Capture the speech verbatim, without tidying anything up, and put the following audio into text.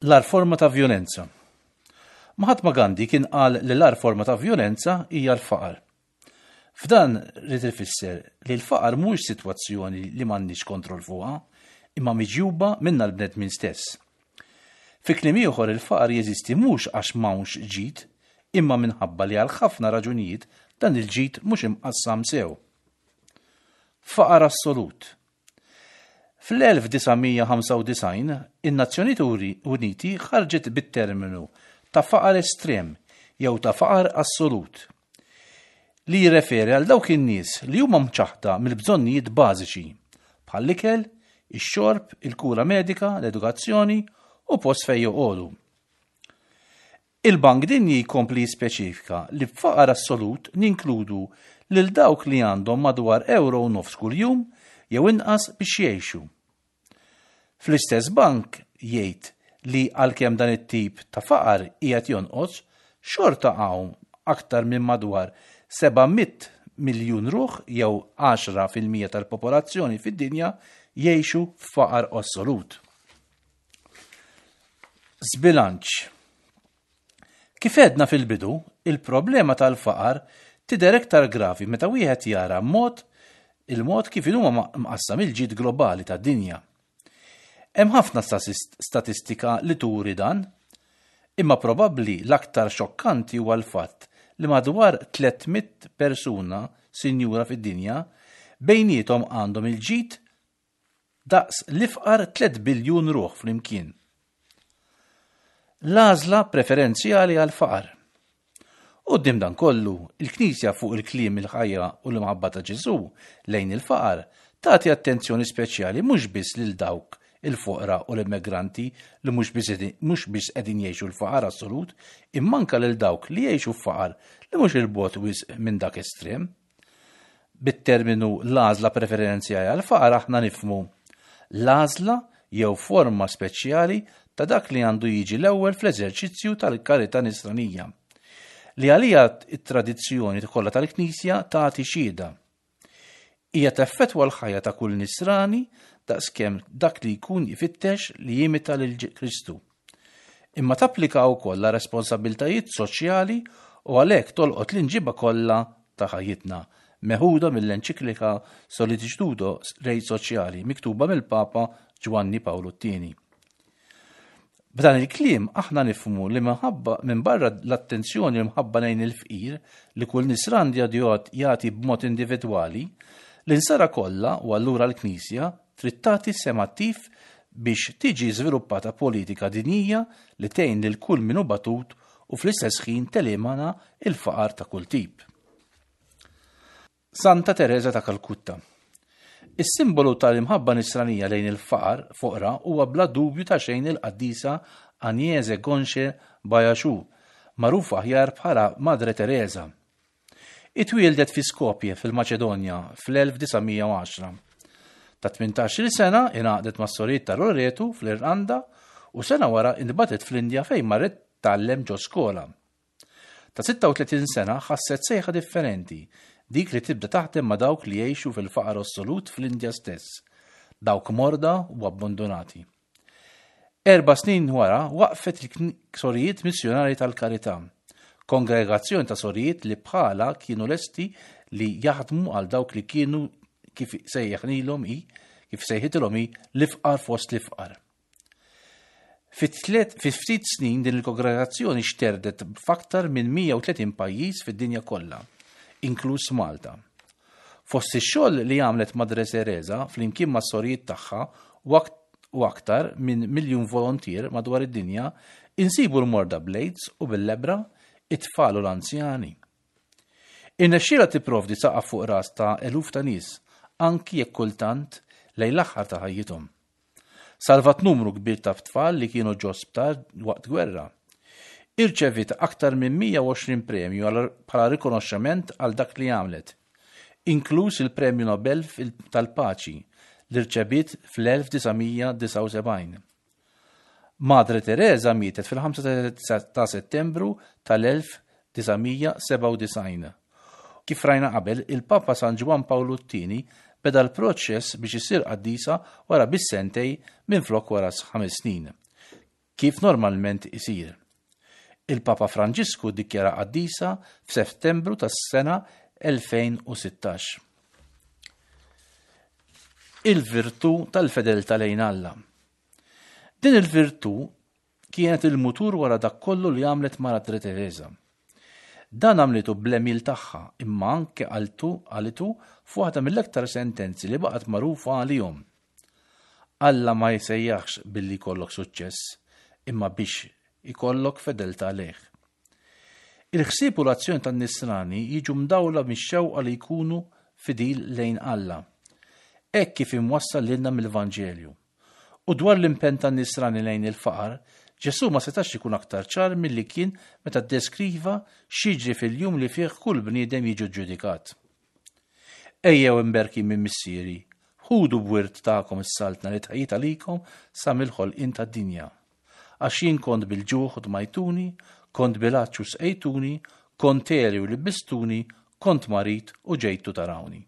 L-agħar forma ta' vjolenza. Mahatma Gandhi kien qal li l-agħar forma ta' vjolenza hija l-faqar. F'dan ried ifisser li l-faqar mhuwiex sitwazzjoni li m'għandniex kontroll fuqha, imma miġjuba minna l-bnedmin stess. Fi kliem ieħor, il-faqar jeżisti mhux għax m'hawnx ġid, imma minħabba li għal ħafna raġunijiet dan il-ġid mhux imqassam sew. Faqar assolut. Fl-elf disa' mija ħamsa u disgħin in-Nazzjonijiet Uniti ħarġet bit-terminu ta' faqar estrem jew ta' faqar assolut, li jirreferi għal dawk in-nies li huma mċaħda mill-bżonnijiet bażiċi bħall-ikel, ix-xorb, il-kura medika, l-edukazzjoni u post fejn joqogħdu. Il-Bank Dinji jkompli jispeċifika li b'faqar assolut ninkludu lil dawk li għandhom madwar euro u nofs kuljum jew inqas biex jgħixu. Fl-istess bank jgħid li għalkemm dan it-tip ta' faqar qiegħed jonqos, xorta hawn aktar minn madwar seba' mitt miljun ruħ jew għaxra fil-mija tal-popolazzjoni fid-dinja jgħixu f'faqar assolut. Żbilanċ. Kif għedna fil-bidu, il-problema tal-faqar tidher iktar gravi meta wieħed jara mod il-mod kif huma mqassam il-ġid globali tad-dinja. Hemm ħafna statistika li turi dan, imma probabbli l-aktar xokkanti huwa l-fatt li madwar tliet mitt persuna sinjura fid-dinja bejniethom għandhom il-ġid daqs l-ifqar tliet biljun ruħ flimkien. L-għażla preferenzjali għal-faqar. Quddiem dan kollu, il-Knisja fuq il-kliem, il-ħajja u l-imħabba ta' Ġesu lejn il-faqar tagħti attenzjoni speċjali mhux biss lil dawk il-foqra u l-immigranti li mhux biss qegħdin jgħixu l-faqar assolut, imma anke lil dawk li jgħixu faqar li mhux 'il bogħod wisq minn dak estrem. Bit-terminu l-għażla preferenzjali għal-faqar aħna nifhmu l-għażla jew forma speċjali ta' dak li għandu jiġi l-ewwel fl-eżerċizzju tal-karità nisranija, li għalija it-tradizzjoni kollha tal-Knisja tagħti xhieda. Hija teffettwa l-ħajja ta' kull nisrani daqskemm dak li jkun jfittex li jimita lil Kristu. Imma tapplika wkoll la responsabiltajiet soċjali u għalhekk tolqot l-imġiba kollha ta' ħajjitna, meħuda mill-enċiklika Sollicitudo Rei Sociali miktuba mill-Papa Ġwanni Pawlu t-Tieni. B'dan il-kliem aħna nifhmu li minħabba minn barra l-attenzjoni u mħabba lejn il-fqir li kull nisrani jagħti b'mod individwali, l-insara kollha u allura l-Knisja trid tagħti sehem attiv biex tiġi żviluppata politika dinjija li tgħin lil kull min hu batut u fl-istess ħin telimina il-faqar ta' kull tip. Santa Teresa ta' Kalkutta. Is-simbolu tal-imħabba nisranija lejn il-faqar foqra huwa bla dubju ta' xejn il-qaddisa Agnese Gonxhe Bojaxhiu, magħrufa aħjar bħala Madre Teresa. Itwieldet fi Skopje fil-Maċedonja fl-elf disa' mija u għaxra. Ta' tmintax-il sena ingħaqdet mas-sorijiet ta' Loreto fl-Irlanda u sena wara intbagħtet fl-Indja fejn marret tgħallem ġo skola. Ta' sitta u tletin sena ħasset sejħa differenti, dik li tibda taħdem ma' dawk li jgħixu fil-faqar assolut fl-Indja stess, dawk morda u abbandonati. Erba' snin wara waqfet il-Sorijiet Missjonari tal-Karità, kongregazzjoni ta' sorijiet li bħala kienu lesti li jaħdmu għal dawk li kienu, kif sejjaħnilhom i, kif sejħitilhom hi, l-ifqar fost l-ifqar. Fi ftit snin din il-kongregazzjoni xterdet f'aktar minn mija u tletin pajjiż fid-dinja kollha, inkluż Malta. Fost ix-xogħol li għamlet Madre Teresa flimkien ma' sorijiet tagħha u aktar minn miljun volontier madwar id-dinja, insibu l-morda bl-AIDS u bil-lebbra, it-tfal u l-anzjani. Irnexxielha tipprovdi saqaf fuq ras ta' eluf ta' nies, anki jekk kultant lejn l-aħħar ta' ħajjithom. Salvat numru kbir ta' tfal li kienu ġo sptar waqt gwerra. Irċevit aktar minn mija u għoxrin premju bħala rikonoxximent għal dak li għamlet, inkluż il-Premju Nobel tal-Paċi li rċevit fl-elf disa' mija disgħa u sebgħin. Madre Teresa mietet fil-ħamsa ta' Settembru tal-elf disa' mija sebgħa u disgħin. Kif rajna qabel, il-Papa San Ġwann Pawlu t-Tieni beda l-proċess biex isir qaddisa wara biss sentejn minn flok wara ħames snin. kif normalment isir. Il-Papa Franġisku ddikjaraha qaddisa f'Settembru tas-sena elfejn u sittax. Il-virtù tal-fedeltà lejn Alla. Din il-virtù kienet il-mutur wara dak kollu li għamlet Madre Teresa. Dan għamlitu bl-għemil tagħha, imma anke qaltu qalitu f'waħda mill-aktar sentenzi li baqgħet magħrufa għalihom. Alla ma jsejjaħx billi jkollok suċċess, imma biex ikollok fedeltà lejh. Il-ħsieb u l-azzjoni tan-nisrani jiġu mdawla mix-xewqa li jkunu fidil lejn Alla. Hekk kif imwassal lilna mill-Vanġelju. U dwar l-impenn tan-nisrani lejn il-faqar, Ġesu ma setax ikun aktar ċar milli kien meta ddeskriva x'jiġri fil-jum li fih kull bniedem jiġu ġudikat. "Ejjew imberkin minn Missieri, ħudu b'wirt tagħkom is-saltna li tħejjiet għalikom sa mill-ħolqien tad-dinja. Għax jien kont bil-ġuħ u tmajtuni, kont bil-għatx u sqejtuni, kont għeri u libbistuni, kont marid u ġejtu tarawni."